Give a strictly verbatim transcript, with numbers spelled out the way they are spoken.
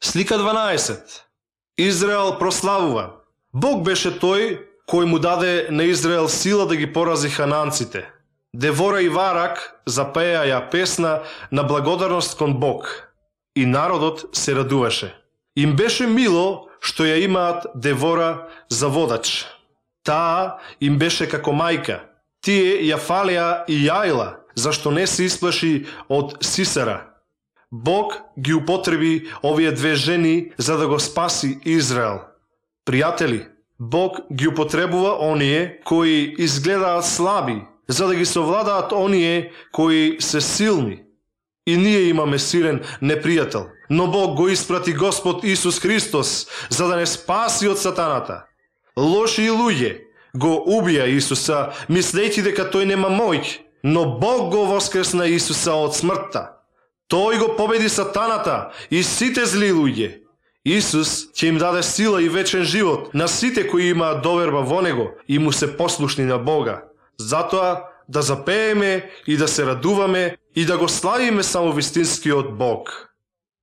Слика дванаесет. Израел прославува. Бог беше тој кој му даде на Израел сила да ги порази хананците. Девора и Варак запеа ја песна на благодарност кон Бог. И народот се радуваше. Им беше мило што ја имаат Девора за водач. Таа им беше како мајка. Тие ја фалеа и Јаила, зашто не се исплаши од Сисера. Бог ги употреби овие две жени за да го спаси Израел. Пријатели, Бог ги употребува оние кои изгледаат слаби, за да ги совладаат оние кои се силни. И ние имаме силен непријател, но Бог го испрати Господ Исус Христос за да не спаси од сатаната. Лоши луѓе го убија Исуса, мислејќи дека тој нема моќ, но Бог го воскресна Исуса од смртта. Тој го победи сатаната и сите зли луѓе. Исус ќе им даде сила и вечен живот на сите кои имаат доверба во Него и му се послушни на Бога. Затоа да запееме и да се радуваме и да го славиме само вистинскиот Бог.